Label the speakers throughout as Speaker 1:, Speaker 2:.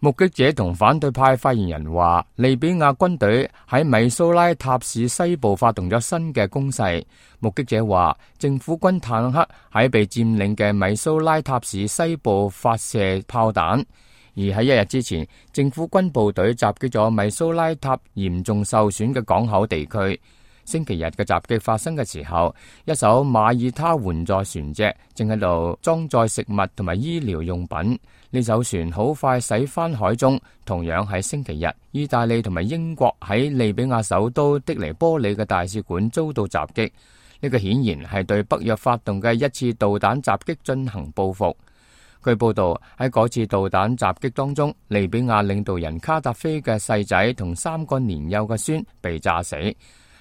Speaker 1: 目擊者同反對派發言人話，利比亞軍隊喺米蘇拉塔市西部發動咗新嘅攻勢。目擊者話，政府軍坦克喺被佔領嘅米蘇拉塔市西部發射炮彈，而喺一日之前，政府軍部隊襲擊咗米蘇拉塔嚴重受損嘅港口地區。星期日嘅襲擊發生嘅時候，一艘馬耳他援助船隻正喺度裝載食物同埋醫療用品。呢艘船好快駛返海中。同樣喺星期日，意大利同埋英國喺利比亞首都的尼波里嘅大使館遭到襲擊。呢個顯然係對北約發動嘅一次導彈襲擊進行報復。據報道，喺嗰次導彈襲擊當中，利比亞領導人卡達菲嘅細仔同3個年幼嘅孫被炸死。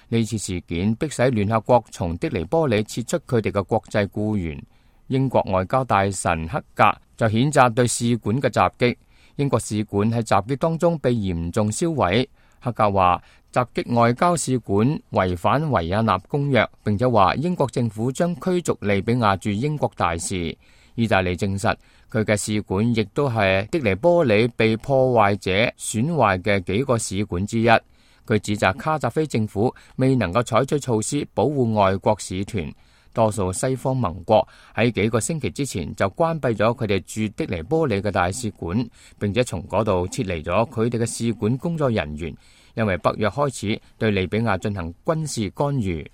Speaker 1: 呢次事件迫使聯合國從的尼波里撤出佢哋嘅國際僱員。英國外交大臣克格就譴責對使館嘅襲擊。英國使館喺襲擊當中被嚴重燒毀。克格話襲擊外交使館違反維也納公約，並且話英國政府將驅逐利比亞駐英國大使。意大利證實佢嘅使館亦都係的尼波里被破壞者損壞嘅幾個使館之一。佢指責卡扎菲政府未能夠採取措施保護外國使團。多數西方盟國喺幾個星期之前就關閉咗佢哋駐的尼波里嘅大使館，並且從嗰度撤離咗佢哋嘅使館工作人員，因為北約開始對利比亞進行軍事干預。